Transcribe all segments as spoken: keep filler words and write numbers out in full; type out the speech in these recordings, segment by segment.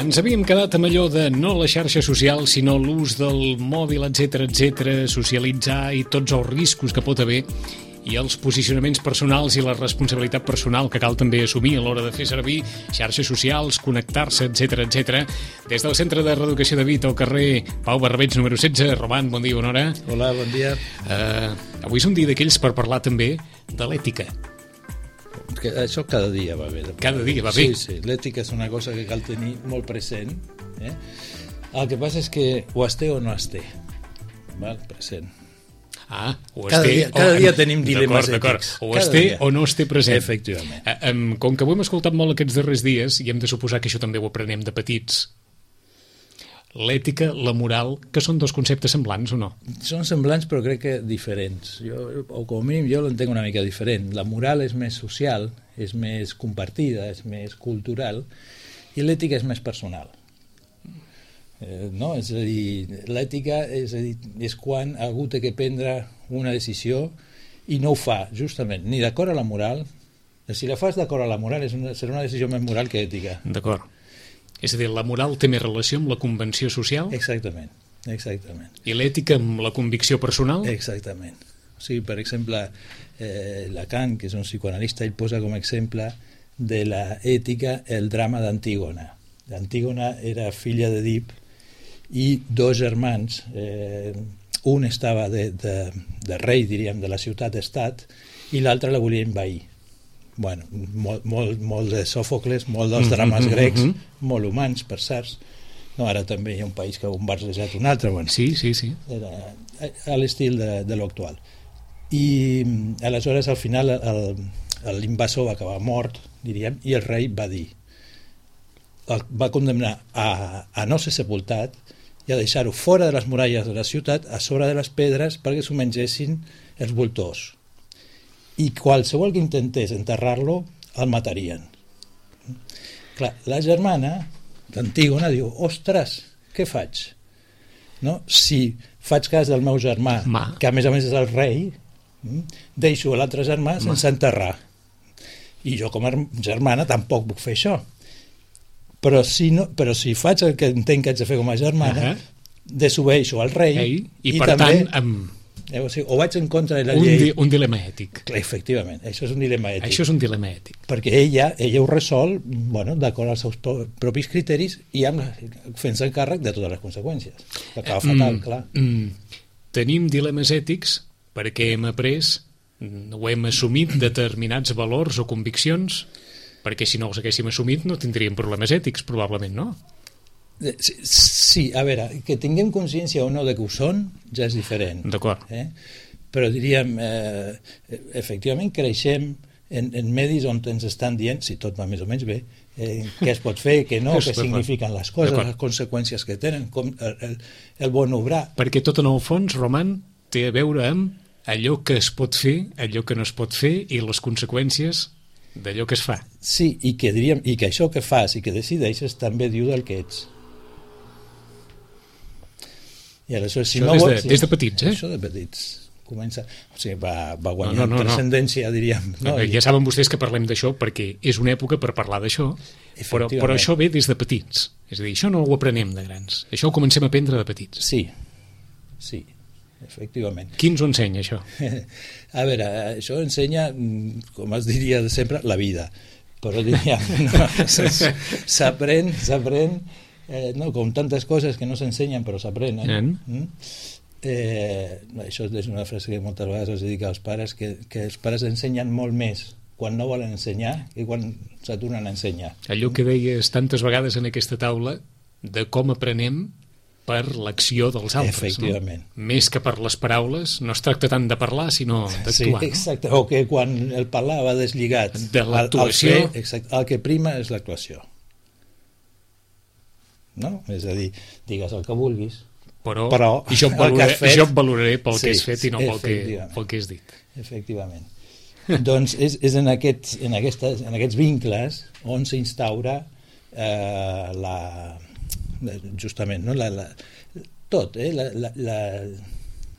Ens havíem quedat amb allò de no la xarxa social, sinó l'ús del mòbil, etcètera, etcètera, socialitzar i tots els riscos que pot haver i els posicionaments personals i la responsabilitat personal que cal també assumir a l'hora de fer servir xarxes socials, connectar-se, etcètera, etcètera. Des del Centre de Reeducació de Vit, al carrer Pau Barbeig, número setze. Roman, bon dia, bona hora. Hola, bon dia. Uh, avui és un dia d'aquells per parlar també de l'ètica. Que això cada dia va bé. Cada dia va bé. Sí, sí, l'ètica és una cosa que cal tenir molt present. Eh? El que passa és que o es té o no es té. Val? Present. Ah, o es cada té... Dia, cada o, dia tenim dilemes d'acord, ètics. O Cada es té dia. o no es té present. Efectivament. Uh, um, com que ho hem escoltat molt aquests darrers dies, i hem de suposar que això també ho aprenem de petits, l'ètica, la moral, que són dos conceptes semblants o no? Són semblants però crec que diferents. Jo, o com a mínim jo l'entenc una mica diferent. La moral és més social, és més compartida, és més cultural, i l'ètica és més personal. Eh, no? És a dir, l'ètica és, a dir, és quan algú té que prendre una decisió i no ho fa, justament, ni d'acord a la moral. Si la fas d'acord a la moral és una, serà una decisió més moral que ètica. D'acord. És a dir, la moral té més relació amb la convenció social? Exactament, exactament. I l'ètica amb la convicció personal? Exactament. O sigui, per exemple, eh, Lacan, que és un psicoanalista, ell posa com a exemple de l'ètica el drama d'Antígona. Antígona era filla d'Èdip i dos germans, eh, un estava de, de, de rei, diríem, de la ciutat-estat, i l'altre la volia envair. Bueno, molt, molt, molt de Sòfocles, molt dels drames grecs, molt humans, per cert. No, ara també hi ha un país que ha bombardejat un altre. Bueno, sí, sí, sí. Era a l'estil de, de l'actual. I aleshores, al final, l'invasor va acabar mort, diríem, i el rei va dir, va condemnar a, a no ser sepultat i a deixar-ho fora de les muralles de la ciutat, a sobre de les pedres, perquè s'ho mengessin els voltors. I qualsevol que intentés enterrar-lo el matarien. Clar, la germana d'Antígona diu, ostres, què faig? No? Si faig cas del meu germà, Ma. que a més a més és el rei, deixo l'altre germà Ma. sense enterrar. I jo com a germana tampoc puc fer això. Però si, no, però si faig el que entenc que haig de fer com a germana, uh -huh. desobeeixo al rei. Ei, i, i per també... tant... Amb... Eh, o, sigui, o vaig en contra de la un llei... Di, un dilema ètic. Efectivament, això és un dilema ètic. Això és un dilema ètic. Perquè ella, ella ho resol, bueno, d'acord als seus propis criteris i amb, fent-se càrrec de totes les conseqüències. Que acaba fatal, mm, clar. Mm, tenim dilemes ètics perquè hem après, o hem assumit determinats valors o conviccions, perquè si no els haguéssim assumit no tindríem problemes ètics, probablement, no? Sí, sí, a veure, que tinguem consciència o no de que ho són ja és diferent. D'acord. Eh? Però diríem, eh, efectivament creixem en, en medis on ens estan dient, si tot va més o menys bé, eh, què es pot fer, què no, què signifiquen les coses, les conseqüències que tenen, com el, el, el bon obrar. Perquè tot en el fons, Roman, té a veure amb allò que es pot fer, allò que no es pot fer i les conseqüències d'allò que es fa. Sí, i que, diríem, i que això que fas i que decideixes també diu del que ets. I aleshores, si això no des, de, vols, des de petits, eh? Això de petits. Comença, o sigui, va, va guanyar no, no, no, transcendència, diríem. No? Ja saben vostès que parlem d'això perquè és una època per parlar d'això, però, però això ve des de petits. És a dir, això no ho aprenem de grans. Això ho comencem a aprendre de petits. Sí, sí, efectivament. Qui ens ho ensenya, això? A veure, això ensenya, com es diria de sempre, la vida. Però diríem, no, s'aprèn, s'aprèn, eh, no, com tantes coses que no s'ensenyen però s'aprenen. Mm? Eh, això és una frase que moltes vegades es dedica als pares, que, que els pares ensenyen molt més quan no volen ensenyar i quan s'aturen a ensenyar. Allò que deies tantes vegades en aquesta taula de com aprenem per l'acció dels altres. Efectivament. No? Més que per les paraules, no es tracta tant de parlar sinó d'actuar. Sí, exacte, no? O que quan el parlar va deslligat de l'actuació, el, el, el que prima és l'actuació. No? És a dir, digues el que vulguis, però, però jo, et valoraré, fet, jo et valoraré pel sí, que has fet i no pel que, pel que has dit. Efectivament. Doncs és, és en, aquests, en, aquestes, en aquests vincles on s'instaura eh, la, justament no? la, la, tot, eh? la, la, la,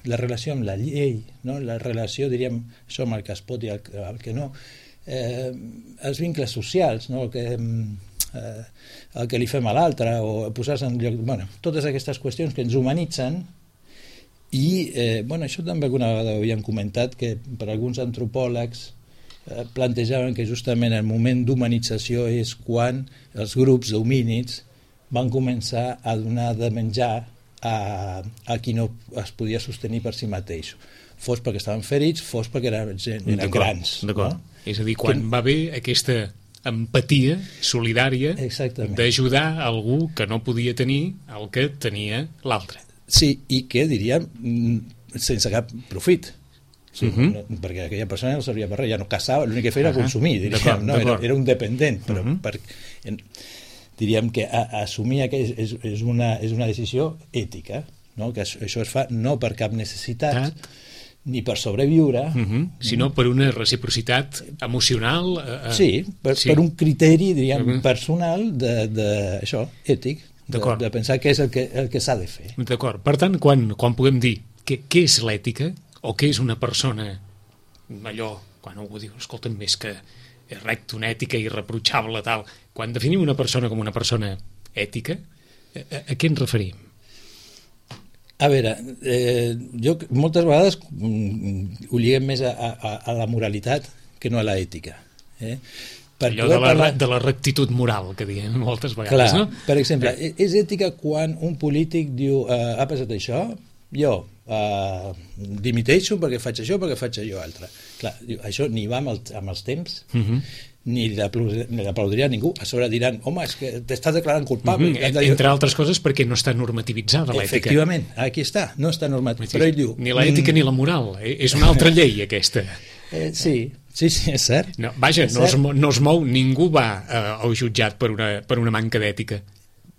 la relació amb la llei, no? La relació, diríem, això amb el que es pot i el, el que no, eh, els vincles socials, no? El que, eh, el que li fem a l'altre, o posar-se en lloc... Bueno, totes aquestes qüestions que ens humanitzen. I eh, bueno, això també alguna vegada ho havíem comentat, que per alguns antropòlegs eh, plantejaven que justament el moment d'humanització és quan els grups d'homínids van començar a donar de menjar a, a qui no es podia sostenir per si mateix, fos perquè estaven ferits, fos perquè eren, eren grans. D'acord. No? És a dir, quan que... va haver aquesta empatia solidària d'ajudar algú que no podia tenir el que tenia l'altre. Sí, i que diríem sense cap profit. Sí, uh -huh. no, perquè aquella persona no servia per res, ja no caçava, l'únic que feia era uh -huh. consumir, diríem, no? era, era un dependent, però uh -huh. per, en, diríem que a, assumir que és, és, és, una, és una decisió ètica, no? Que això, això es fa no per cap necessitat, ah. ni per sobreviure, uh -huh. sinó per una reciprocitat emocional. Eh, sí, per, sí, per un criteri, diríem, uh -huh. personal de, de, això, ètic, de, de pensar què és el que, el que s'ha de fer. D'acord. Per tant, quan, quan podem dir que, què és l'ètica o què és una persona, allò, quan algú diu, escolta'm, més que és recta, una ètica irreprotxable, tal, quan definim una persona com una persona ètica, a, a, a què ens referim? A veure, eh, jo moltes vegades mm, ho lliguem més a, a, a la moralitat que no a l'ètica. Eh? Per allò de la, parlar... de la rectitud moral que diem moltes vegades. Clar, no? Per exemple, eh. és ètica quan un polític diu eh, ha passat això, jo eh, dimiteixo perquè faig això, perquè faig allò altre. Clar, això ni va amb, el, amb els temps, uh -huh. ni l'aplaudiria a ningú. A sobre diran, home, és que t'estàs declarant culpable. Uh -huh. Entre altres coses perquè no està normativitzada l'ètica. Efectivament, aquí està, no està normativitzada. Però ell diu... Ni l'ètica mm... ni la moral, eh? És una altra llei aquesta. Eh, sí, sí, sí, és cert. No, vaja, és no, cert. Es, no es mou, ningú va eh, al jutjat per una, per una manca d'ètica.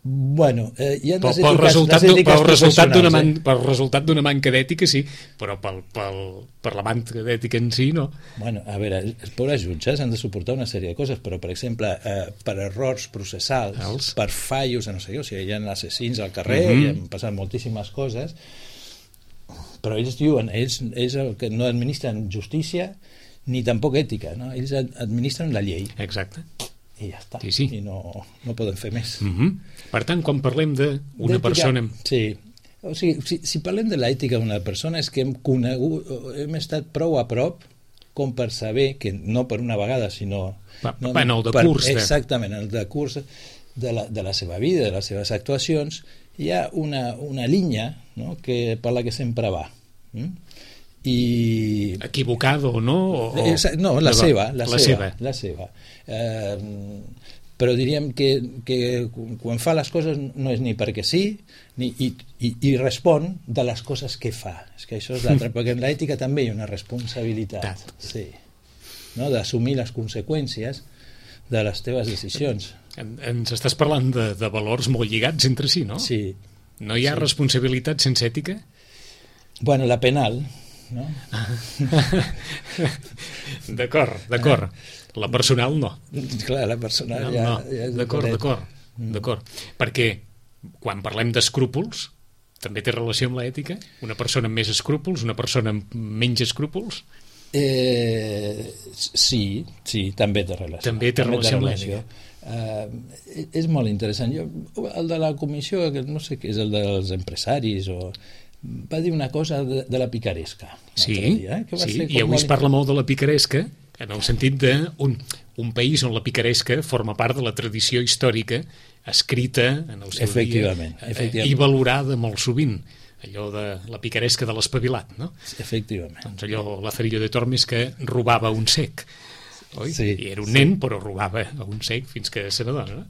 Bueno, eh, hi ha les pel, ètiques, resultat, les ètiques pel, resultat d'una man, eh? pel resultat d'una manca d'ètica sí, però pel, pel, per la manca d'ètica en si no. Bueno, a veure, els pobres jutges han de suportar una sèrie de coses, però per exemple eh, per errors processals, Els. per fallos, no sé, o sigui, hi ha assassins al carrer, uh -huh. i han passat moltíssimes coses, però ells diuen, ells, ells el que no administren justícia ni tampoc ètica, no? Ells administren la llei. Exacte. I ja està, sí, sí. i no, no poden fer més. Uh -huh. Per tant, quan parlem d'una persona... Sí, o sigui, si, si parlem de l'ètica d'una persona és que hem conegut, hem estat prou a prop com per saber que no per una vegada, sinó... Va, no, en el decurs. Per, exactament, en el decurs de la, de la seva vida, de les seves actuacions, hi ha una, una línia, no?, que, per la que sempre va. Mm? I... Equivocada o no? O... No, la, la seva, la, la seva, seva. La seva. Eh, però diríem que, que quan fa les coses no és ni perquè sí, ni, i, i, i respon de les coses que fa. És que això és l'altre, perquè en l'ètica també hi ha una responsabilitat. Sí. No? D'assumir les conseqüències de les teves decisions. En, ens estàs parlant de, de valors molt lligats entre si, no? Sí. No hi ha sí. responsabilitat sense ètica? Bueno, la penal, no? D'acord, d'acord. La personal no. Clar, la personal no, ja, no. ja és d'acord, diferent. d'acord, mm. d'acord. Perquè quan parlem d'escrúpols també té relació amb l'ètica? Una persona amb més escrúpols, una persona amb menys escrúpols? Eh, sí, sí, també té relació. També té també relació amb l'ètica. Uh, és molt interessant. Jo, el de la comissió, que no sé què és, el dels empresaris o... va dir una cosa de, de la picaresca. Sí, dia, eh? que va sí. ser i avui es parla molt de la picaresca en el sentit d'un un país on la picaresca forma part de la tradició històrica escrita en el seu efectivament, dia efectivament. i valorada molt sovint, allò de la picaresca de l'espavilat, no? Efectivament. Doncs allò, Lazarillo de Tormes, que robava un cec, oi? Sí, I era un sí. nen, però robava un cec fins que se n'adona, no?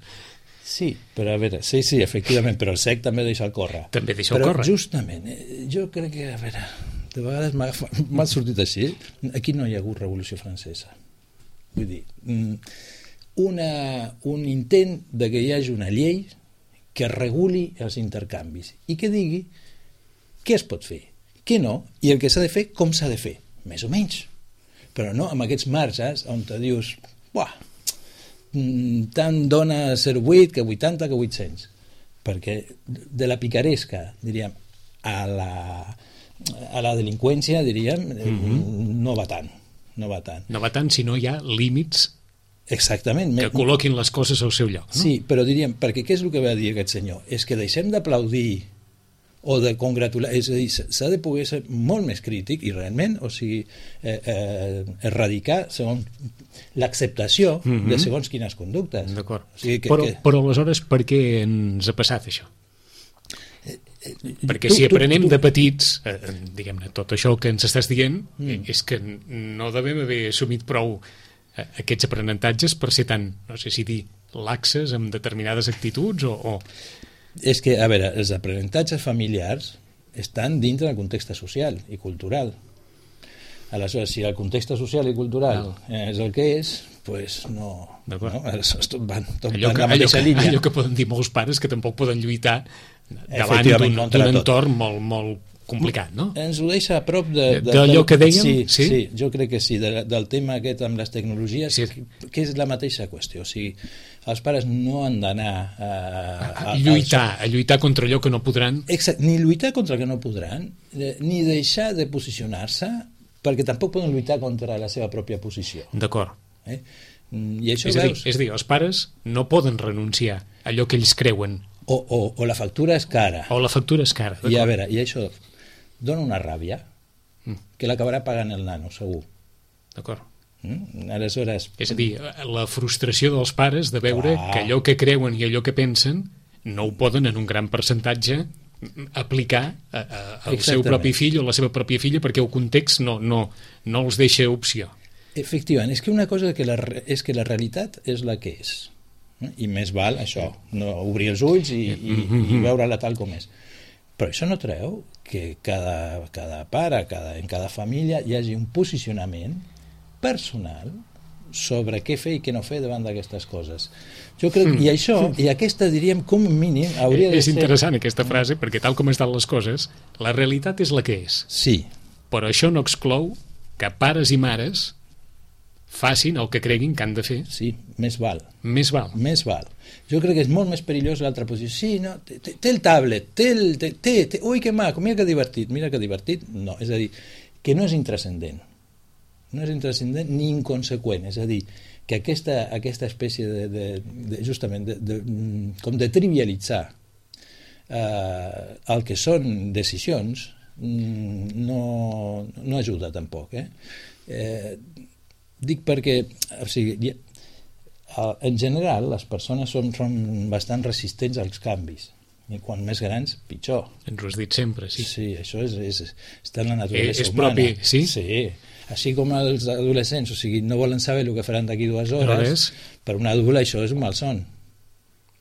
Sí, però a veure, sí, sí, efectivament, però el sec també deixa el córrer. També deixa el però córrer. Però justament, jo crec que, a veure, de vegades m'ha sortit així, aquí no hi ha hagut Revolució Francesa. Vull dir, una, un intent de que hi hagi una llei que reguli els intercanvis i que digui què es pot fer, què no, i el que s'ha de fer, com s'ha de fer, més o menys. Però no amb aquests marges on te dius, buah, tant dona ser vuit que vuitanta que vuit-cents, perquè de la picaresca, diríem, a la, a la delinqüència, diríem, mm-hmm. no va tant, no va tant. No va tant si no hi ha límits Exactament. Que col·loquin les coses al seu lloc. No? Sí, però diríem, perquè què és el que va dir aquest senyor? És que deixem d'aplaudir o de congratular, és a dir, s'ha de poder ser molt més crític i realment, o sigui, eh, eh, erradicar segons l'acceptació mm-hmm. de segons quines conductes. D'acord. O sigui que, però, que... però aleshores per què ens ha passat això? Eh, eh, Perquè tu, si aprenem tu, tu... de petits, eh, diguem-ne, tot això que ens estàs dient, mm. eh, és que no devem haver assumit prou eh, aquests aprenentatges per ser tan, no sé si dir, laxes amb determinades actituds o... o... És que, a veure, els aprenentatges familiars estan dintre del context social i cultural. Aleshores, si el context social i cultural no. és el que és, pues no, no aleshores tot van, tot allò, van que, la mateixa allò, línia. Allò que poden dir molts pares que tampoc poden lluitar davant d'un entorn molt, molt complicat, no? Ens ho deixa a prop de... de d'allò que dèiem? Sí, sí? sí, jo crec que sí, de, del tema aquest amb les tecnologies, sí. que, que és la mateixa qüestió. O sigui, els pares no han d'anar a, a, a lluitar, als... a lluitar contra allò que no podran. Exacte, ni lluitar contra el que no podran, ni deixar de posicionar-se, perquè tampoc poden lluitar contra la seva pròpia posició. D'acord. Eh? I això és, a dir, veus... és a dir, els pares no poden renunciar a allò que ells creuen. O, o, o la factura és cara. O la factura és cara. I a veure, i això dona una ràbia mm. que l'acabarà pagant el nano, segur. D'acord. Mm? Aleshores... És a dir, la frustració dels pares de veure ah. que allò que creuen i allò que pensen no ho poden en un gran percentatge aplicar a, a, al Exactament. seu propi fill o la seva pròpia filla perquè el context no, no, no els deixa opció. Efectivament, és que una cosa que la, és que la realitat és la que és. I més val això, no obrir els ulls i, i, i veure-la tal com és. Però això no treu que cada, cada pare, cada, en cada família hi hagi un posicionament personal sobre què fer i què no fer davant d'aquestes coses. Jo crec, mm. i això, i aquesta diríem com a mínim hauria de és ser... És interessant aquesta frase, perquè tal com estan les coses, la realitat és la que és. Sí. Però això no exclou que pares i mares facin el que creguin que han de fer. Sí, més val. Més val. Més val. Jo crec que és molt més perillós l'altra posició. Sí, no, té, té el tablet, té el... Té, té, té, ui, que maco, mira que divertit, mira que divertit. No, és a dir, que no és intrascendent. No és intrascendent ni inconseqüent. És a dir, que aquesta, aquesta espècie de, de, de justament, de, de, com de trivialitzar eh, el que són decisions no, no ajuda tampoc. Eh? Eh, dic perquè, o sigui, en general les persones són, són bastant resistents als canvis i quan més grans, pitjor. Ens ho has dit sempre, sí. Sí, això és, és, està en la naturalesa és humana. propi, sí? Sí, així com els adolescents, o sigui, no volen saber el que faran d'aquí dues hores, per un adult això és un malson.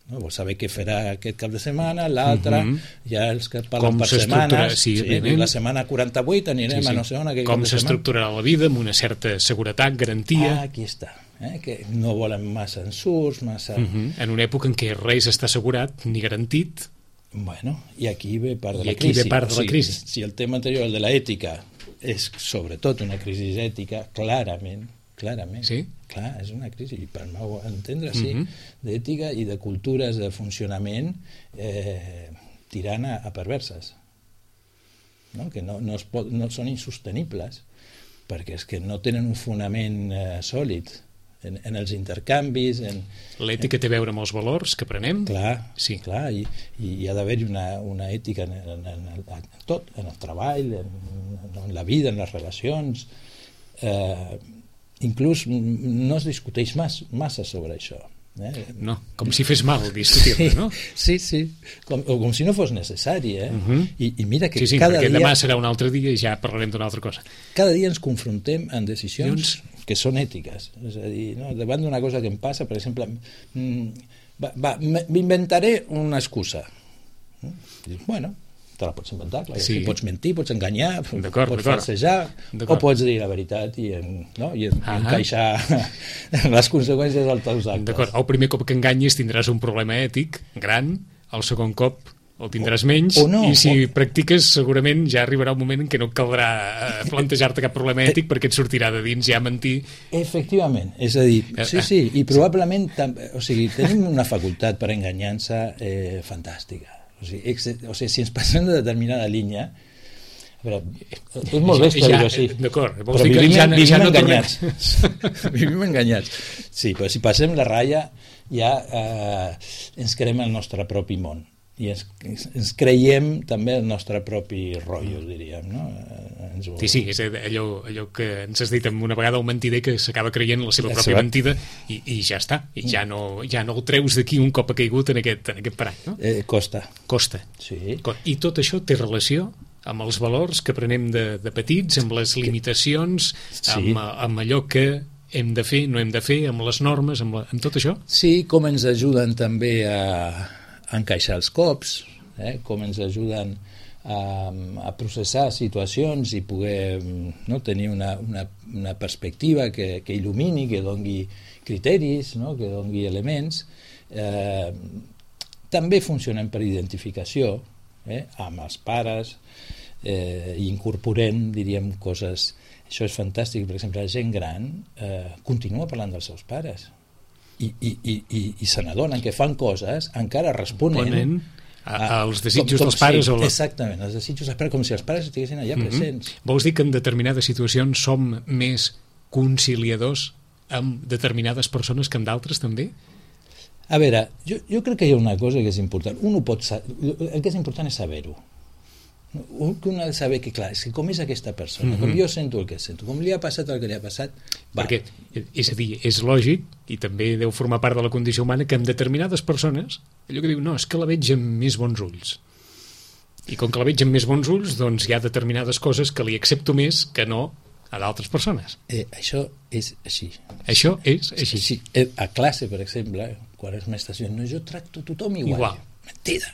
No? Vol saber què farà aquest cap de setmana, l'altre, uh-huh. ja els que parlen com per setmanes, sí, sí, la setmana quaranta-vuit anirem sí, sí. a no sé on. Com s'estructurarà la vida amb una certa seguretat, garantia. Ah, aquí està. Eh? Que no volen massa ensurts, massa... Uh-huh. En una època en què res està assegurat ni garantit. Bueno, i aquí ve part de I la crisi. I aquí ve part de la crisi. O sigui, si el tema anterior, el de l'ètica, és sobretot una crisi ètica, clarament, clarament, sí? clar, és una crisi, i per meu entendre, sí, uh-huh. d'ètica i de cultures de funcionament eh, tirant a, a perverses, no? Que no, no, es pot, no són insostenibles, perquè és que no tenen un fonament eh, sòlid en, en els intercanvis. En, l'ètica en... té a veure amb els valors que prenem? Clar, sí. clar i, i hi ha d'haver-hi una, una ètica en, en, en, en tot, en el treball, en, en la vida, en les relacions. Eh, inclús no es discuteix mas, massa sobre això. Eh? No, com si fes mal discutir-ne, sí, no? Sí, sí, com, o com si no fos necessari. Eh? Uh-huh. I, I mira que sí, sí, cada dia... dia... demà serà un altre dia i ja parlarem d'una altra cosa. Cada dia ens confrontem amb decisions Llavors... que són ètiques. És a dir, no? Davant d'una cosa que em passa, per exemple, va, va, m'inventaré una excusa. Dius, bueno, te la pots inventar, clar, sí. Pots mentir, pots enganyar, d'acord, pots d'acord. falsejar, o pots dir la veritat i, en, no? I en, uh-huh. encaixar les conseqüències dels teus actes. D'acord, el primer cop que enganyis tindràs un problema ètic gran, el segon cop el tindràs menys, o, o no, i si o... practiques segurament ja arribarà un moment en què no caldrà plantejar-te cap problema ètic perquè et sortirà de dins ja mentir. Efectivament, és a dir, sí, sí, i probablement o sigui, tenim una facultat per enganyar-se eh, fantàstica. O sigui, ex, o sigui, si ens passem de determinada línia, A veure, és molt bèstia ja, dir-ho així. D'acord, Però vols dir que vivim, ja, vivim ja no enganyats. Vivim enganyats. Sí, però si passem la ratlla ja eh, ens creem el nostre propi món i ens, ens creiem també el nostre propi rotllo, diríem, no? Ens ho... Sí, sí, és allò, allò que ens has dit amb una vegada un mentider que s'acaba creient la seva la pròpia seva... mentida i, i ja està, i ja no, ja no el treus d'aquí un cop ha caigut en aquest, en aquest parany, no? Eh, costa. Costa. Sí. I tot això té relació amb els valors que aprenem de, de petits, amb les limitacions, sí. amb, amb allò que hem de fer, no hem de fer, amb les normes, amb, la, amb tot això? Sí, com ens ajuden també a, a encaixar els cops, eh? Com ens ajuden a, a processar situacions i poder, no, tenir una, una, una perspectiva que, que il·lumini, que dongui criteris, no? Que dongui elements. Eh, també funcionen per identificació, eh? Amb els pares, eh, i incorporem, diríem, coses... Això és fantàstic, per exemple, la gent gran eh, continua parlant dels seus pares i, i, i, i, i se n'adonen que fan coses encara responent a, als desitjos com, com, dels pares. sí, o la... Exactament, els desitjos dels pares, com si els pares estiguessin allà mm-hmm. presents. Vols dir que en determinades situacions som més conciliadors amb determinades persones que amb d'altres també? A veure, jo, jo crec que hi ha una cosa que és important. Un ho pot saber, el que és important és saber-ho. Un que un ha de saber que, clar, és que com és aquesta persona, mm-hmm. com jo sento el que sento, com li ha passat el que li ha passat... Va. Perquè, és a dir, és lògic, i també deu formar part de la condició humana, que amb determinades persones, allò que diu, no, és que la veig amb més bons ulls. I com que la veig amb més bons ulls, doncs hi ha determinades coses que li accepto més que no a d'altres persones. Eh, això és així. Això és així. Sí, sí. A classe, per exemple, quan els mestres diuen, no, jo tracto tothom igual. Igual. Mentida.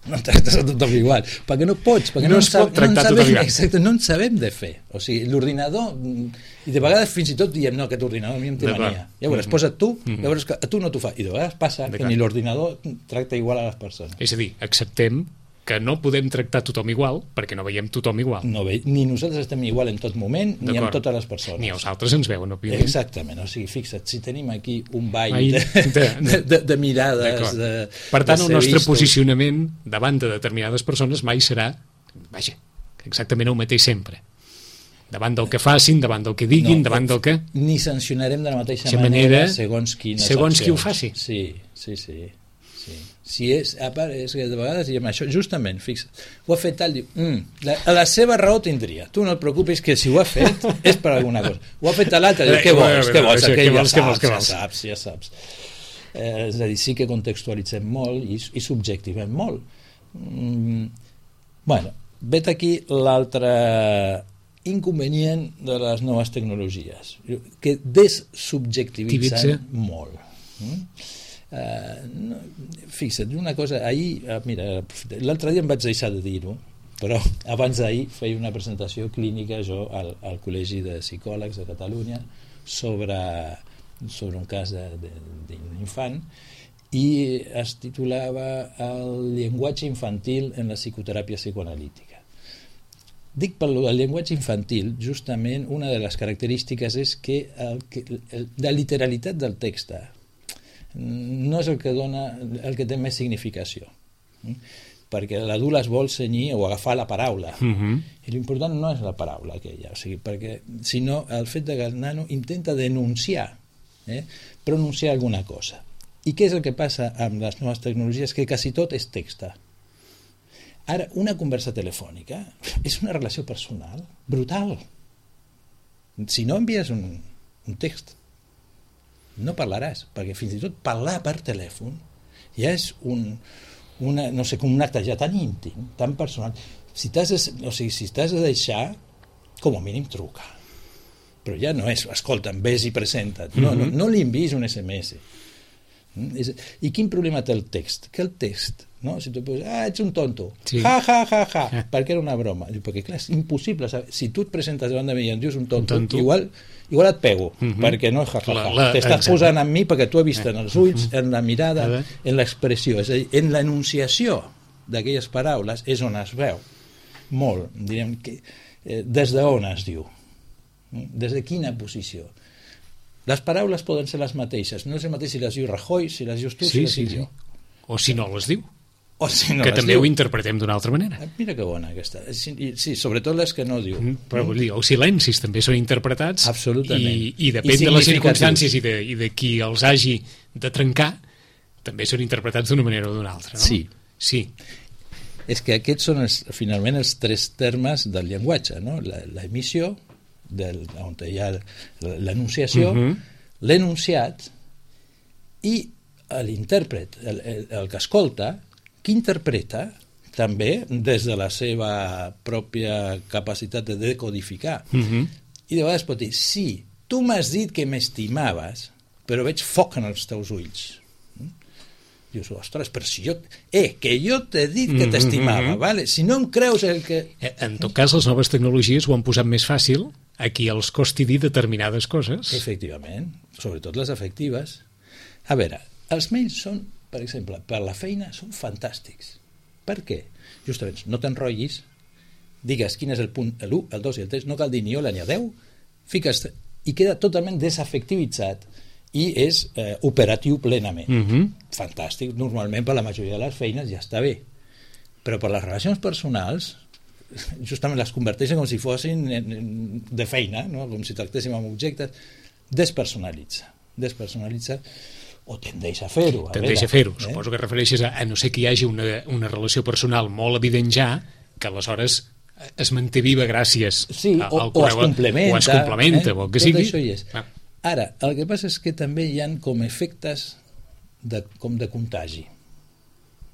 No tractes a tothom igual, perquè no pots, perquè no, no, es pot sab, no, en sabem, exacte, no en sabem de fer. O sigui, l'ordinador, i de vegades fins i tot diem, no, aquest ordinador a mi em té mania. Llavors, mm-hmm. posa't tu, mm-hmm. llavors que a tu no t'ho fa. I de vegades passa que ni l'ordinador tracta igual a les persones. És a dir, acceptem que no podem tractar tothom igual perquè no veiem tothom igual. No ve, ni nosaltres estem igual en tot moment, ni amb totes les persones. Ni els altres ens veuen, òbviament. Exactament, o sigui, fixa't, si tenim aquí un ball Ai, de, de, de, de, de mirades... De, per tant, de el nostre vistos. posicionament davant de determinades persones mai serà, vaja, exactament el mateix sempre. Davant del que facin, davant del que diguin, no, davant del que... Ni sancionarem de la mateixa manera, manera segons quines segons accions. qui ho faci. Sí, sí, sí. Sí. Si és, a part, és que de vegades diem això, justament, fixa't, ho ha fet tal, diu, mm, la, la seva raó tindria, tu no et preocupis que si ho ha fet és per alguna cosa, ho ha fet a l'altre, diu, què vols, què vols, què vols, què vols, ja saps, ja saps. Eh, és a dir, sí que contextualitzem molt i, i subjectivem molt. Mm, bueno, vet aquí l'altre inconvenient de les noves tecnologies, que dessubjectivitzen molt. Mm? Uh, no, fixa't, una cosa ahir, uh, mira, l'altre dia em vaig deixar de dir-ho, però abans d'ahir feia una presentació clínica jo al, al Col·legi de Psicòlegs de Catalunya sobre, sobre un cas d'un infant i es titulava El llenguatge infantil en la psicoteràpia psicoanalítica. Dic per el llenguatge infantil, justament una de les característiques és que, el, que el, la literalitat del text no és el que dona, el que té més significació, perquè l'adult es vol cenyir o agafar la paraula, uh-huh. i l'important no és la paraula aquella, o sigui, perquè sinó el fet de que el nano intenta denunciar, eh, pronunciar alguna cosa. I què és el que passa amb les noves tecnologies? Que quasi tot és text. Ara, una conversa telefònica és una relació personal brutal. Si no envies un, un text, no parlaràs, perquè fins i tot parlar per telèfon ja és un, una, no sé, com un acte ja tan íntim, tan personal. Si t'has de, o sigui, si t'has de deixar, com a mínim truca. Però ja no és, escolta'm, vés i presenta't. No, mm-hmm. no, no li enviïs un esse eme esse. I quin problema té el text? Que el text, no? Si tu poses, ah, ets un tonto, sí. ja, ja, ja, ja, eh. perquè era una broma. Perquè, clar, és impossible saber. Si tu et presentes davant de mi i em dius un tonto, un tonto. Igual, igual et pego, uh-huh. perquè no és ja, ja, ja. T'estàs posant en mi perquè tu has vist en els ulls, en la mirada, en l'expressió. És a dir, en l'enunciació d'aquelles paraules és on es veu molt, direm, que, eh, des d'on es diu, des de quina posició. Les paraules poden ser les mateixes, no és el mateix si les diu Rajoy, si les dius tu, sí, si les sí, diu jo. Sí. O si no les diu. o si no que també diu. ho interpretem d'una altra manera. Mira que bona aquesta. Sí, sí, sobretot les que no diu. Però vull dir, els silencis també són interpretats. Absolutament. I, i depèn I de les circumstàncies i de, i de qui els hagi de trencar, també són interpretats d'una manera o d'una altra, no? Sí. Sí. És que aquests són els, finalment els tres termes del llenguatge, no? L'emissió, on hi ha l'enunciació, uh-huh. l'enunciat i l'intèrpret, el, el, el que escolta, que interpreta també des de la seva pròpia capacitat de decodificar. Uh-huh. I de vegades pot dir, sí, tu m'has dit que m'estimaves, però veig foc en els teus ulls. Dius, ostres, però si jo... Eh, que jo t'he dit que t'estimava, mm-hmm. vale? Si no em creus el que... En tot cas, les noves tecnologies ho han posat més fàcil a qui els costi dir determinades coses. Efectivament, sobretot les afectives. A veure, els mails són, per exemple, per la feina, són fantàstics. Per què? Justament, no t'enrotllis, digues quin és el punt, l'u, el dos i el tres, no cal dir ni hola ni adeu, fiques... i queda totalment desafectivitzat i és eh, operatiu plenament. Uh-huh. Fantàstic, normalment per la majoria de les feines ja està bé, però per les relacions personals justament les converteixen com si fossin de feina, no? Com si tractéssim amb objectes. Despersonalitza despersonalitza o tendeix a fer-ho. A tendeix veure, a fer-ho, eh? Suposo que refereixes a, a no ser que hi hagi una, una relació personal molt evident ja, que aleshores es manté viva gràcies sí, al o, correu, o es complementa, o es complementa, eh? o el que Tot sigui. Això hi és. Ah. Ara, el que passa és que també hi ha com efectes de, com de contagi.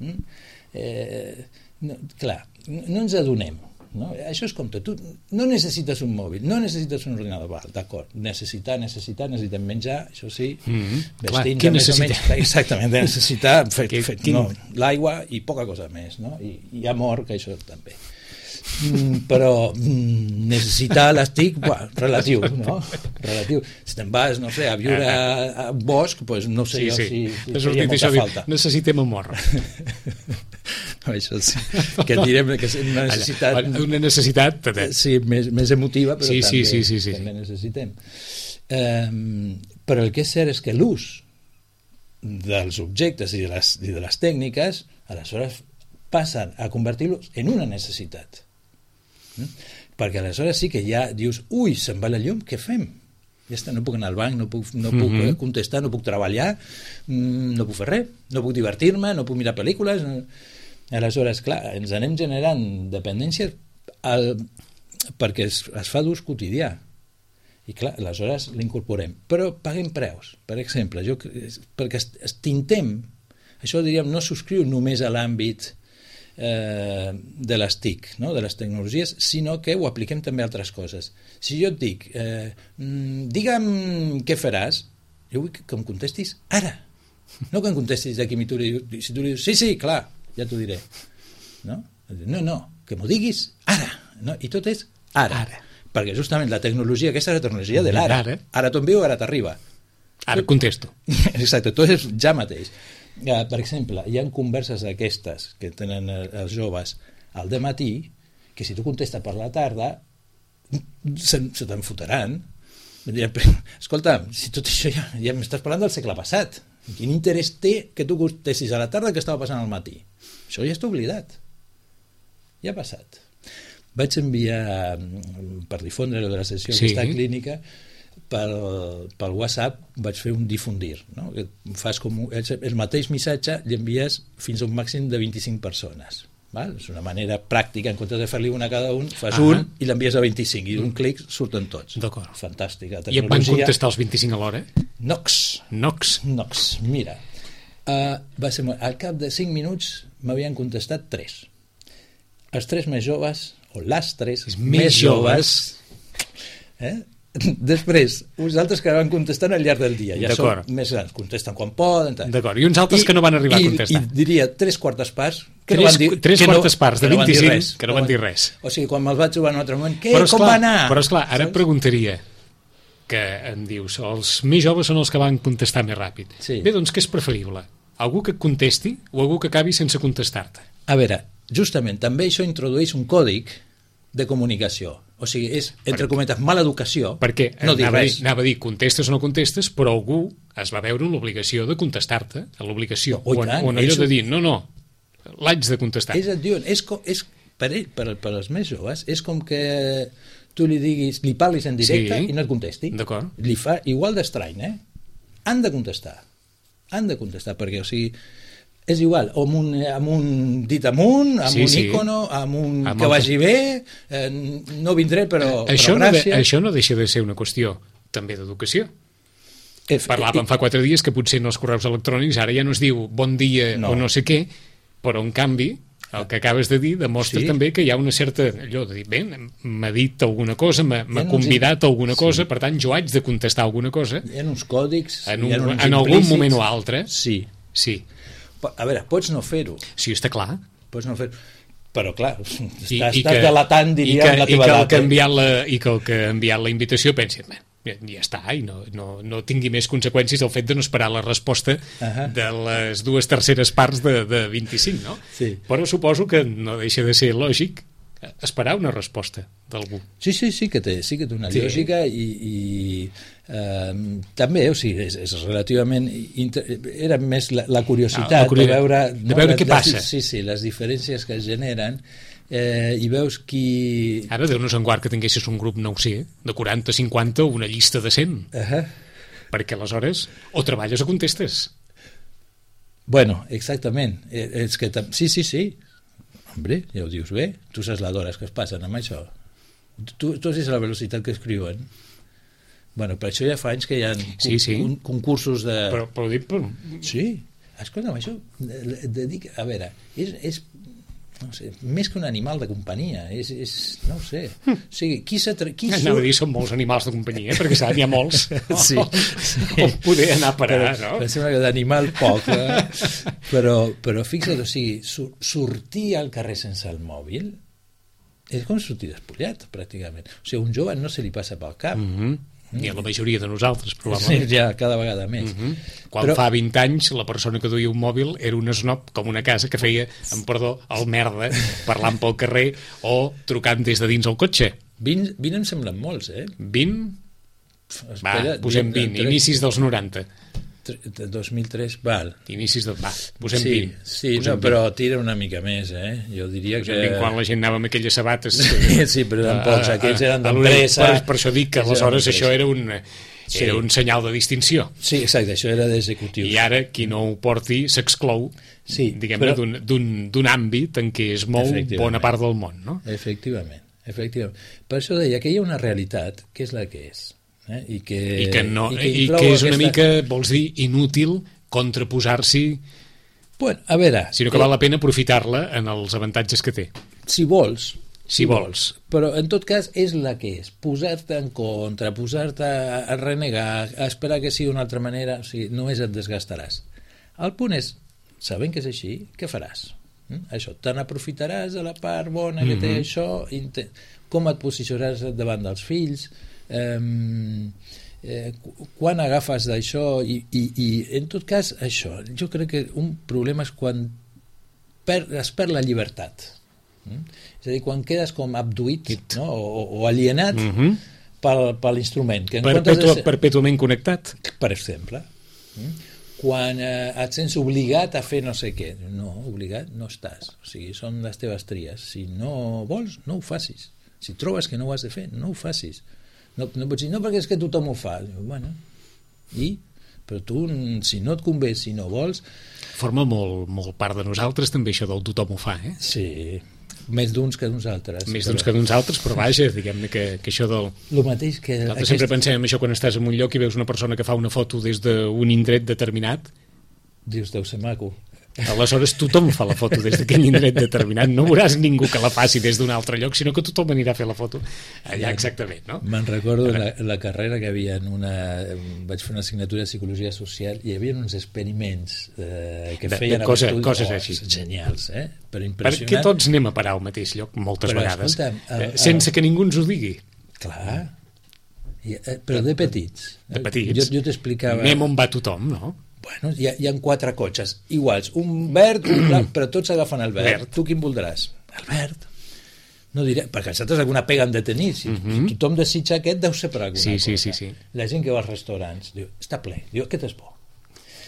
Mm? Eh, no, clar, no ens adonem. No? Això és com tot. Tu no necessites un mòbil, no necessites un ordinador, d'acord, necessitar, necessitar, necessitem menjar, això sí, mm-hmm. vestir-nos més o menys, exactament, de necessitar fet, que, fet, no, l'aigua i poca cosa més, no? I, i amor, que això també. Mm, però mm, necessitar l'estic, relatiu, no? Relatiu. Si te'n vas, no sé, a viure a, a un bosc, pues no sé sí, jo sí. si, si seria molta falta. Necessitem amor. No, això sí, que direm que és una necessitat... Una necessitat... Sí, més, més emotiva, però sí, també, sí, sí, sí, sí. també necessitem. Um, però el que és cert és que l'ús dels objectes i de les, i de les tècniques, aleshores passen a convertir-los en una necessitat. Mm? Perquè aleshores sí que ja dius, ui, se'n va la llum, què fem? Ja està, no puc anar al banc, no puc, no puc mm-hmm. contestar, no puc treballar, no puc fer res, no puc divertir-me, no puc mirar pel·lícules... No... Aleshores, clar, ens anem generant dependència al... perquè es, es fa d'ús quotidià. I clar, aleshores l'incorporem. Però paguem preus. Per exemple, jo, perquè estintem, això diríem, no subscriu només a l'àmbit eh, de les T I C, no? De les tecnologies, sinó que ho apliquem també a altres coses. Si jo et dic, eh, digue'm què faràs, jo vull que em contestis ara. No que em contestis d'aquí a mi, tu, si tu li dius, sí, sí, clar, ja t'ho diré. No? No, no, que m'ho diguis ara. No? I tot és ara. ara. Perquè justament la tecnologia, aquesta és la tecnologia de l'ara. Ara, ara t'envio, ara t'arriba. Ara contesto. Exacte, tot és ja mateix. Ja, per exemple, hi ha converses d'aquestes que tenen els joves al dematí, que si tu contestes per la tarda, se, se te'n fotran. Escolta, si tot això ja, ja m'estàs parlant del segle passat. Quin interès té que tu contestis a la tarda que estava passant al matí? Això ja està oblidat. Ja ha passat. Vaig enviar, per difondre de la sessió sí. aquesta clínica, pel, pel WhatsApp vaig fer un difundir. No? Fas com un, el mateix missatge l'envies fins a un màxim de vint-i-cinc persones. Val? És una manera pràctica, en comptes de fer-li una a cada un, fas uh-huh. un i l'envies a vint-i-cinc, i d'un clic surten tots. D'acord. Fantàstica. I et van contestar els vint-i-cinc a l'hora? Nox. Nox. Nox. Mira, uh, va ser, al cap de cinc minuts m'havien contestat tres. Els tres més joves, o les tres els més joves, eh? Després, uns altres que van contestant al llarg del dia, ja són més grans, contesten quan poden. D'acord, i uns altres I, que no van arribar i, a contestar. I diria tres quartes parts que tres, no van dir, tres que quartes no, parts de vint-i-cinc que no van dir res. O sigui, quan me'ls vaig trobar en un altre moment, què, però com esclar, va anar? Però esclar, ara et preguntaria, que em dius, els més joves són els que van contestar més ràpid. Sí. Bé, doncs què és preferible? Algú que et contesti o algú que acabi sense contestar-te? A veure, justament, també això introdueix un còdic de comunicació. O sigui, és, entre cometes, mala educació. Perquè no anava, a dir, anava a dir, contestes o no contestes, però algú es va veure en l'obligació de contestar-te, a l'obligació, o, o, o en allò de dir, no, no, l'haig de contestar. És, diuen, és, com, és per, ell, per, per als més joves, és com que tu li diguis, li parlis en directe sí, i no et contesti. D'acord. Li fa igual d'estrany, eh? Han de contestar. Han de contestar, perquè, o sigui, és igual, amb un, amb un dit amunt, amb sí, un sí. ícono, amb un amb que el... vagi bé, eh, no vindré, però, això però gràcies. No de, això no deixa de ser una qüestió també d'educació. F Parlàvem fa quatre dies que potser en els correus electrònics ara ja no es diu bon dia no. o no sé què, però en canvi el que acabes de dir demostra sí. també que hi ha una certa allò de dir, bé, m'ha dit alguna cosa, m'ha convidat a alguna cosa, sí. per tant jo haig de contestar alguna cosa. Hi ha uns còdics, en, un, hi ha uns en algun moment o altre. Sí. Sí. A veure, pots no fer-ho. Sí, està clar. Pots no fer-ho. Però, clar, estàs, I, i estàs que, delatant, diríem, que, la teva edat. Que la, I que el que ha enviat la invitació pensi, ja, ja està, i no, no, no tingui més conseqüències el fet de no esperar la resposta uh -huh. de les dues terceres parts de, de vint-i-cinc, no? Sí. Però suposo que no deixa de ser lògic esperar una resposta d'algú. Sí, sí, sí que té, sí que té una sí. lògica i, i eh, també, o sigui, és, és relativament inter... era més la, la curiositat no, la curiositat de veure, no, de veure les, què passa. Les, sí, sí, les diferències que es generen eh, i veus qui... Ara, Déu-nos en guard que tinguessis un grup, no ho sé, de quaranta, cinquanta o una llista de cent. Uh -huh. Perquè aleshores o treballes o contestes. Bueno, exactament. És que sí, sí, sí. Hombre, ja ho dius bé. Tu saps les hores que es passen amb això. Tu, tu has la velocitat que escriuen. Bueno, per això ja fa anys que hi ha sí, sí. Un, concursos de... Però, però dic... Però... Sí. Escolta'm, això... De, de, de, a veure, és... és no sé, més que un animal de companyia és, és no ho sé, o sigui, qui s'atre... qui anava a dir, són molts animals de companyia eh? perquè n'hi ha molts sí, sí. com poder anar a parar, però, no? Em sembla que d'animal poc eh? però, però fixa't, o sigui sur sortir al carrer sense el mòbil és com sortir despullat pràcticament, o sigui, un jove no se li passa pel cap mm-hmm. ni a la majoria de nosaltres, probablement. Sí, ja, cada vegada més. Uh-huh. Quan Però... fa vint anys, la persona que duia un mòbil era un snob com una casa que feia, amb perdó, el merda, parlant pel carrer o trucant des de dins el cotxe. vint, vint em semblen molts, eh? vint? Espera, va, posem vint, inicis dels noranta. dos mil tres, val. Inicis de... Va, posem sí, vint. Sí, posem no, però tira una mica més, eh? Jo diria posem que... vint quan la gent anava amb aquelles sabates... sí, però tampoc, aquells eren d'empresa... Per, per això dic que aleshores això era un... Sí. Era un senyal de distinció. Sí, exacte, això era d'executius. I ara, qui no ho porti, s'exclou sí, diguem-ne, però... d'un àmbit en què es mou bona part del món, no? Efectivament, efectivament. Per això deia que hi ha una realitat que és la que és. Eh? I, que, I, que no, i, que i que és una aquesta... mica, vols dir, inútil contraposar-s'hi, bueno, a veure, sinó que eh... val la pena aprofitar-la en els avantatges que té. Si vols, si, si vols. vols. Però, en tot cas, és la que és. Posar-te en contra, posar-te a renegar, a esperar que sigui d'una altra manera, o sigui, només et desgastaràs. El punt és, sabent que és així, què faràs? Mm? Això, te n'aprofitaràs de la part bona que té mm-hmm. això, com et posicionaràs davant dels fills, eh, eh, quan agafes d'això, i, i, i en tot cas, això, jo crec que un problema és quan per, es perd la llibertat. Mm? És a dir, quan quedes com abduït, no? o, o alienat mm-hmm. per, per l'instrument. Perpetu ser... Perpetuament connectat. Per exemple. Mm? Quan eh, et sents obligat a fer no sé què. No, obligat no estàs. O sigui, són les teves tries. Si no vols, no ho facis. Si trobes que no ho has de fer, no ho facis. No, no pots dir, no, perquè és que tothom ho fa. Bueno, i? Però tu, si no et convé, si no vols... Forma molt, molt part de nosaltres, també, això del tothom ho fa, eh? Sí, més d'uns que d'uns altres. Més d'uns però... que d'uns altres, però vaja, diguem-ne que, que això del... El mateix que... Nosaltres aquest... sempre pensem en això quan estàs en un lloc i veus una persona que fa una foto des d'un indret determinat. Dius, deu ser maco. Aleshores tothom fa la foto des d'aquell indret determinat. No veuràs ningú que la faci des d'un altre lloc, sinó que tothom anirà a fer la foto allà exactament, no? Me'n recordo la, la carrera que havia en una... Vaig fer una assignatura de Psicologia Social i hi havia uns experiments eh, que de, feien... De cosa, estudis, coses oh, així. Genials, eh? Però impressionant. Perquè tots anem a parar al mateix lloc moltes però, vegades, escolta'm, el, el... sense que ningú ens ho digui. Clar. I, eh, però de petits. De petits. Jo, jo t'explicava... Anem on va tothom, no? Bueno, hi ha, hi ha quatre cotxes iguals, un verd, un blanc, però tots agafen el verd. verd. Tu quin voldràs? El verd. No diré, perquè els altres alguna pega han de tenir. Si, mm-hmm. si tothom desitja aquest, deu ser per alguna sí, cosa. Sí, sí, sí. La gent que va als restaurants diu, està ple, diu, aquest és bo.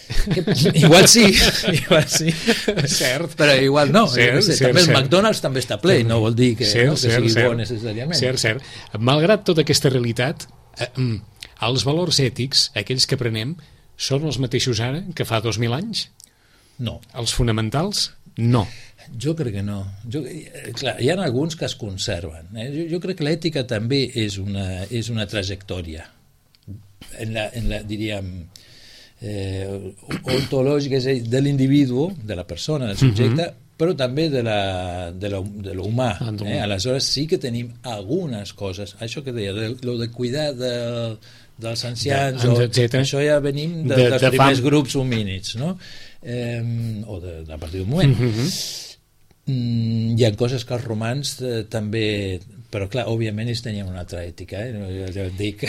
Que, igual sí, igual sí. Cert. Però igual no. Cert, sé, cert, també el cert. McDonald's també està ple, no vol dir que, Cert, no, que cert, sigui cert. bo necessàriament. Cert, cert. Malgrat tota aquesta realitat, eh, els valors ètics, aquells que prenem, són els mateixos ara que fa dos mil anys? No. Els fonamentals? No. Jo crec que no. Jo, clar, hi ha alguns que es conserven. Eh? Jo, jo crec que l'ètica també és una, és una trajectòria. En la, en la, diríem, eh, ontològica, és a dir, de l'individu, de la persona, del subjecte, uh-huh. però també de, la, de, la, de l'humà. Eh? Aleshores sí que tenim algunes coses. Això que deia, de, lo de cuidar de, dels ancians, de, o, això ja venim de, de, dels de primers fam. grups homínids, no? Eh, o de, a partir d'un moment. Uh-huh. Mm, hi ha coses que els romans eh, també, però clar, òbviament ells tenien una altra ètica, eh? Jo, jo dic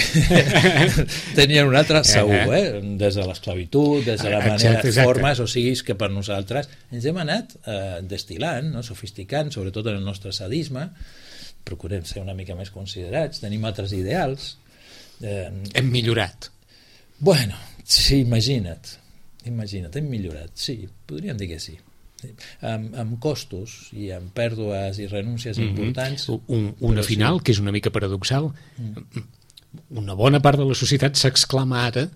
tenien una altra segur, eh? Des de l'esclavitud, des de la manera, exacte, exacte. formes, o sigui que per nosaltres ens hem anat eh, destilant, no? Sofisticant, sobretot en el nostre sadisme, procurem ser una mica més considerats, tenim altres ideals. Eh, hem millorat. Bueno, sí, imagina't, imagina't, hem millorat, sí, podríem dir que sí. Amb, amb costos i amb pèrdues i renúncies mm-hmm. importants. Un, una final sí. que és una mica paradoxal. Mm. Una bona part de la societat s'exclama ara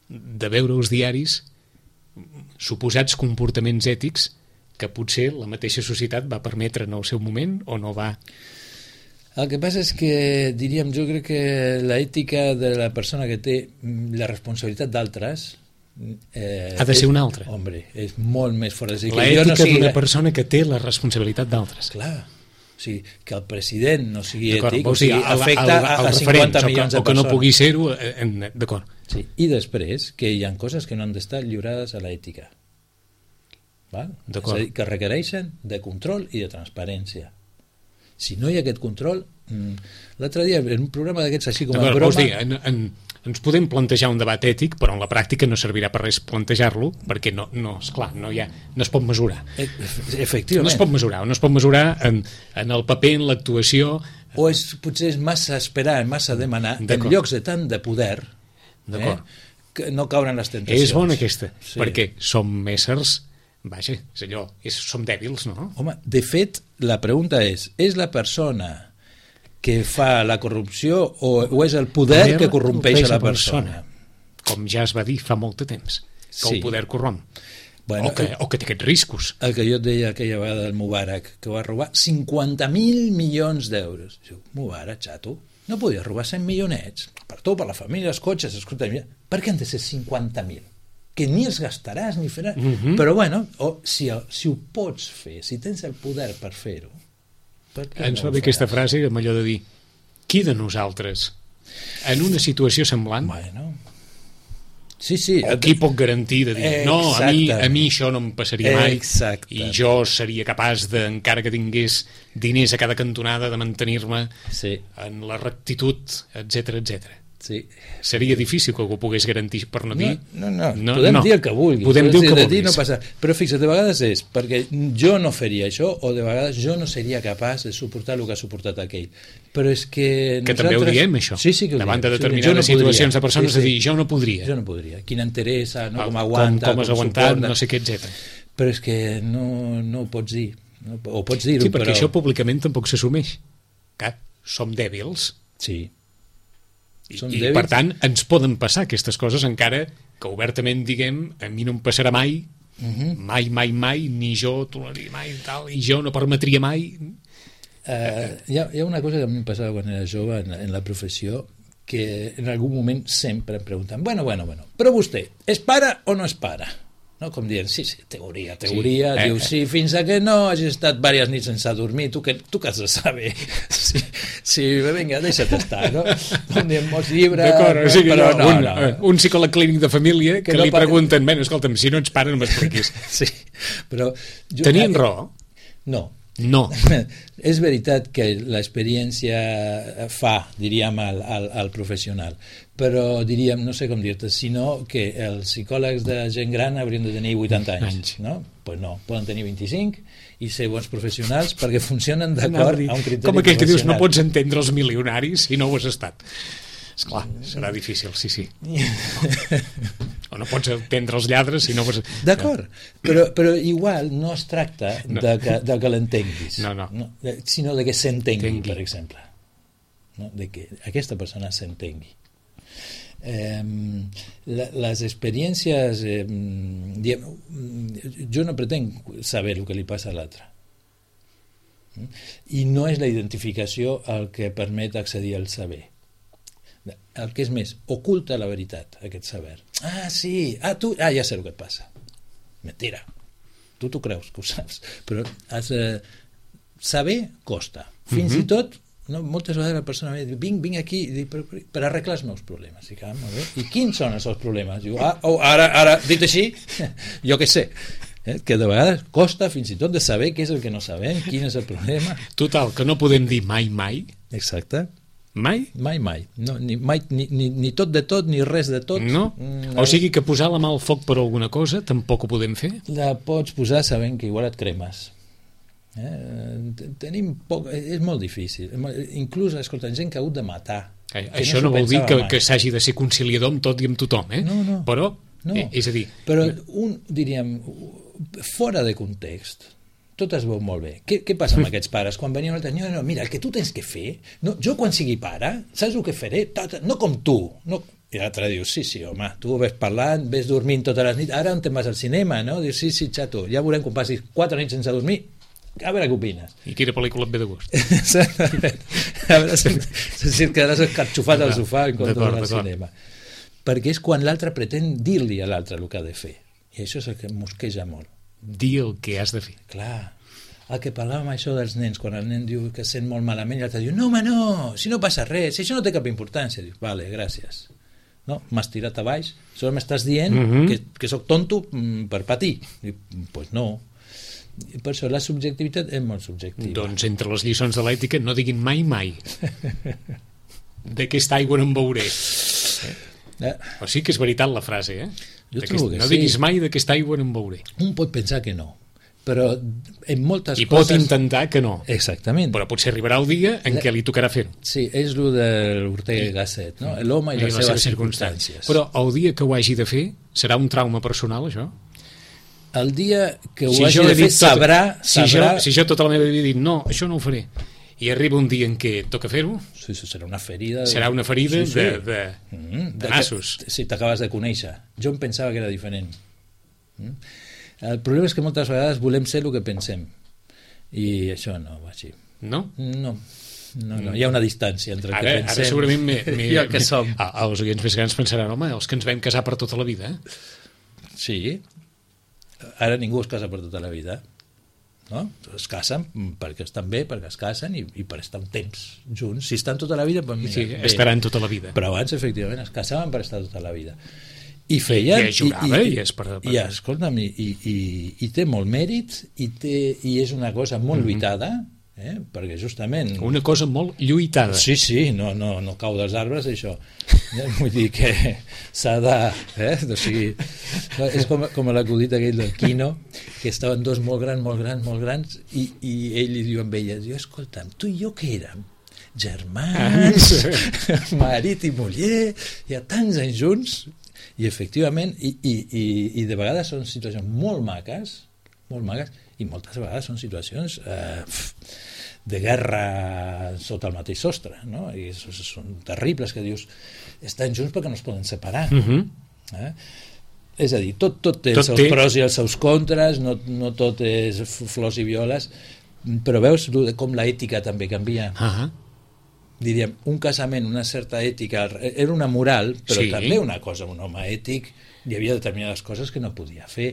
de veure els diaris suposats comportaments ètics que potser la mateixa societat va permetre en el seu moment o no va. El que passa és que, diríem, jo crec que l'ètica de la persona que té la responsabilitat d'altres Eh, ha de ser és, una altra. Hombre, és molt més fort. És dir, l'ètica no sigui... d'una persona que té la responsabilitat d'altres. Clar, o sigui, que el president no sigui d'acord, ètic, o sigui, sigui, afecta el, el, el a cinquanta milions de persones. O que no pugui ser-ho, d'acord. Sí. I després, que hi ha coses que no han d'estar lliurades a l'ètica. Val? És a dir, que requereixen de control i de transparència. Si no hi ha aquest control... L'altre dia, en un programa d'aquests així com a broma... Vols dir, en, en, ens podem plantejar un debat ètic, però en la pràctica no servirà per res plantejar-lo, perquè no, no, esclar, no, hi ha, no es pot mesurar. Efectivament. No es pot mesurar, no es pot mesurar en, en el paper, en l'actuació... O és, potser és massa esperar, massa demanar, en llocs de tant de poder, eh, que no caure en les tentacions. És bona aquesta, sí. perquè som éssers... Vaja, és allò, és, som dèbils, no? Home, de fet, la pregunta és, és la persona que fa la corrupció o, o és el poder que corrompeix a la persona? persona? Com ja es va dir fa molt de temps, que sí. el poder corromp. Bueno, o, que, o que té aquests riscos. El que jo et deia aquella vegada del Mubarak, que va robar cinquanta mil milions d'euros. Diu, Mubarak, xato, no podia robar cent milionets? Per tu, per la família, els cotxes, escolta, per què han de ser cinquanta mil? Que ni els gastaràs ni faràs. Mm-hmm. Però bueno, o, si, si ho pots fer, si tens el poder per fer-ho, ens va bé aquesta frase amb allò de dir qui de nosaltres en una situació semblant bueno. sí, sí, o qui pot garantir de dir eh, no, a mi, a mi això no em passaria mai exacte. I jo seria capaç de, encara que tingués diners a cada cantonada, de mantenir-me sí. en la rectitud, etcètera, etcètera. Sí. Seria difícil que algú pogués garantir per no dir... No, no, no. no podem no. dir el que vulguis. Podem dir el que vulguis. No passa. Però fixa't, de vegades és perquè jo no faria això o de vegades jo no seria capaç de suportar el que ha suportat aquell. Però és que... Que nosaltres... també ho diem, això. Sí, sí que ho davant diem. de determinades sí, no situacions podria. De persones sí, sí. a dir, jo no podria. Jo no podria. Quina enteresa, no? Com aguanta, com, com has com aguantat, suporta. no sé què, etcètera. Però és que no, no ho pots dir. No, o pots dir-ho, sí, perquè però... això públicament tampoc s'assumeix. Clar, som dèbils. Sí. I, i per tant ens poden passar aquestes coses encara que obertament diguem a mi no em passarà mai uh-huh. mai, mai, mai, ni jo toleraria mai tal, i jo no permetria mai uh, hi, ha, hi ha una cosa que a mi em passava quan era jove en, en la professió que en algun moment sempre em pregunten bueno, bueno, bueno, però vostè és pare o no és pare? No? Com dient, sí, sí, teoria, teoria, sí. Diu, sí, fins a que no hagis estat diverses nits sense dormir, tu que, tu que has de saber. Sí, sí, vinga, deixa't estar, no? Com diem, molts llibres... D'acord, o sigui, però no, no, un, no. un psicòleg clínic de família que, que no li pregunten, pa... bueno, escolta'm, si no ets pare no m'expliquis. Sí, però... Jo, tenien eh, raó? No. No. És veritat que l'experiència fa, diríem, al, al, al professional, però diríem, no sé com dir-te, sinó que els psicòlegs de gent gran haurien de tenir vuitanta anys, anys. No? Pues no, poden tenir vint-i-cinc i ser bons professionals perquè funcionen d'acord a un criteri com aquell que dius, no pots entendre els milionaris si no ho has estat. Esclar, serà difícil, sí, sí. O no pots entendre els lladres si no... Pots... D'acord, però, però igual no es tracta no. de que, de que l'entenguis, no, no. no, sinó de que s'entengui, Tengui. per exemple. No? De que aquesta persona s'entengui. Eh, la, les experiències... Eh, diem, jo no pretenc saber el que li passa a l'altre. I no és la identificació el que permet accedir al saber. El que és més, oculta la veritat, aquest saber. Ah, sí, ah, tu, ah, ja sé el que et passa. Mentira. Tu t'ho creus, que ho saps. Però has de... saber costa. Fins uh-huh. i tot, no, moltes vegades la persona diu, vinc, vinc aquí dic, per, per arreglar els meus problemes. Dic, ah, molt bé. I quins són els seus problemes? Diu, ah, oh, ara, ara, dit així, jo què sé. Eh? Que de vegades costa fins i tot de saber què és el que no sabem, quin és el problema. Total, que no podem dir mai, mai. Exacte. Mai? Mai, mai. No, ni, mai ni, ni, ni tot de tot, ni res de tot. No? Mm, o sigui que posar la mà al foc per alguna cosa tampoc ho podem fer? La pots posar sabent que igual et cremes. Eh? Tenim poc... És molt difícil. Inclús, escolta, gent que ha hagut de matar. Eh, això no, no vol dir que, que s'hagi de ser conciliador amb tot i amb tothom, eh? No, no. Però, no. Eh, és a dir... Però un, diríem, fora de context... tot es veu molt bé. Què, què passa amb aquests pares? Quan venien altres, no, no, mira, el que tu tens que fer, no, jo quan sigui pare, saps el que faré? No com tu. No. I l'altre diu, sí, sí, home, tu ves parlant, ves dormint totes les nits, ara on te'n vas al cinema, no? Dius, sí, sí, xato, ja veurem quan passis quatre nits sense dormir, a veure què opines. I quina pel·lícula et ve de gust? A veure si, si et quedaràs escarxofat al sofà en comptes del cinema. Perquè és quan l'altre pretén dir-li a l'altre el que ha de fer. I això és el que em mosqueja molt. Dir el que has de fer. Clar, el que parlàvem això dels nens, quan el nen diu que sent molt malament, i l'altre diu, no home no, si no passa res, si això no té cap importància. Diu, vale, gràcies. No, m'has tirat a baix, solo m'estàs dient uh-huh. que, que sóc tonto per patir. Diu, pues no. I per això la subjectivitat és molt subjectiva. Doncs entre les lliçons de l'ètica no diguin mai mai. D'aquesta aigua no en veuré. Eh? O sigui que és veritat la frase, eh? Jo trobo que no sí. diguis mai d'aquesta aigua no en veuré. Un pot pensar que no, però en moltes I coses... pot intentar que no. Exactament. Però potser arribarà el dia en la... què li tocarà fer-ho. Sí, és el de l'Ortega i Gasset, no? L'home i, I les, les seves circumstàncies. circumstàncies. Però el dia que ho hagi de fer, serà un trauma personal, això? El dia que ho si hagi de fer, tot... sabrà... Si, sabrà... Jo, si jo tota la meva vida he dit, no, això no ho faré, i arriba un dia en què toca fer-ho, sí, sí, serà una ferida de... serà una ferida sí, sí. de, de, mm, de nassos. Que, si t'acabes de conèixer. Jo em pensava que era diferent. Mm? El problema és que moltes vegades volem ser el que pensem, i això no va així. No? No. No, no, hi ha una distància entre el ara, que pensem ara segurament me, me, i el que som. Me, els oients més grans pensaran, home, els que ens vam casar per tota la vida, eh? Sí. Ara ningú es casa per tota la vida. No? Es casen perquè estan bé, perquè es casen i, i per estar un temps junts. Si estan tota la vida, doncs mira, sí, estaran tota la vida. Però abans, efectivament, es casaven per estar tota la vida. I feien... I, i jugava i, i, i és per... I, escolta'm, i, i, i, i té molt mèrit i, té, i és una cosa molt mm-hmm. lluitada, eh? Perquè justament... Una cosa molt lluitada. Sí, sí, no, no, no cau dels arbres, això. Vull dir que s'ha de... Eh? O sigui, és com, com l'acudit aquell del Quino, que estaven dos molt grans, molt grans, molt grans, i, i ell li diu amb ella, diu, escolta'm, tu i jo què érem? Germans, marit i muller, hi ha tants anys junts, i efectivament, i, i, i, i de vegades són situacions molt maques, molt maques, i moltes vegades són situacions eh, de guerra sota el mateix sostre, no? I són terribles, que dius, estan junts perquè no es poden separar. Uh-huh. Eh? És a dir, tot, tot té tot els seus té... pros i els seus contres, no, no tot és flors i violes, però veus com l'ètica també canvia. Uh-huh. Diríem, un casament, una certa ètica, era una moral, però sí. també una cosa, un home ètic, hi havia determinades coses que no podia fer,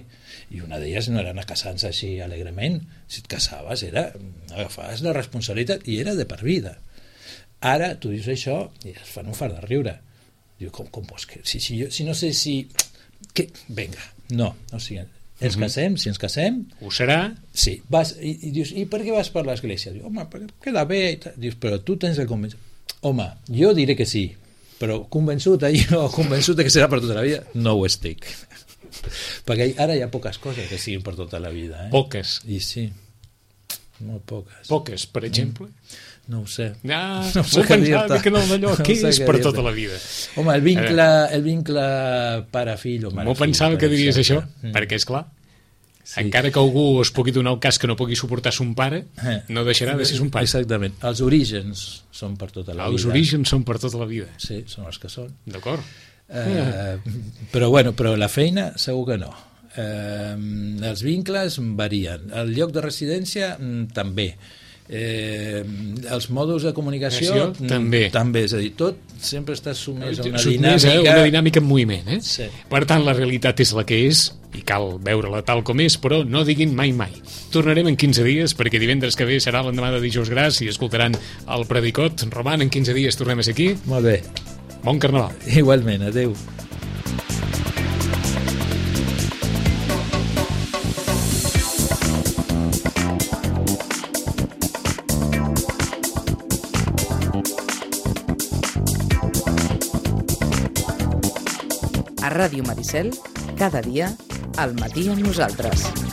i una d'elles no era anar casant-se així alegrement. Si et casaves, era, agafaves la responsabilitat i era de per vida. Ara tu dius això i es fan un fart de riure. Diu, com, com vols que... Si, si, jo, si no sé si... Que... Vinga, no, o sigui, ens casem, si ens casem... Ho serà? Sí, vas, i, i dius, i per què vas per l'església? Diu, home, perquè queda bé, i tal. Dius, però tu tens el convenciment. Home, jo diré que sí, però convençut jo, convençut que serà per tota la vida, no ho estic. Perquè ara hi ha poques coses que siguin per tota la vida. Eh? Poques? I sí, molt poques. Poques, per exemple? No ho sé. Ah, no m'ho pensava que no, allò, què no és per tota la vida? Home, el vincle, el vincle pare-fill o mare-fill. M'ho pensava que diries exemple. això, mm. perquè és clar, sí. encara que algú es pugui donar el cas que no pugui suportar son pare, eh. no deixarà de ser son pare. Exactament. Els orígens són per tota la Els vida. Els orígens són per tota la vida. Sí, són els que són. D'acord. Eh, però bueno, però la feina segur que no. Eh, els vincles varien. El lloc de residència també. Eh, els mòduls de comunicació Acció, també. també, és a dir, tot sempre està sumès a una Sotmès dinàmica a una dinàmica en moviment, eh? Sí. Per tant, la realitat és la que és i cal veure-la tal com és, però no diguin mai mai. Tornarem en quinze dies, perquè divendres que ve serà l'endemà de dijous gras i escoltaran el Predicot. Roman, en quinze dies tornem a ser aquí. Molt bé. Bon carnaval. Igualment, adeu. A Ràdio Maricel, cada dia, al matí amb nosaltres.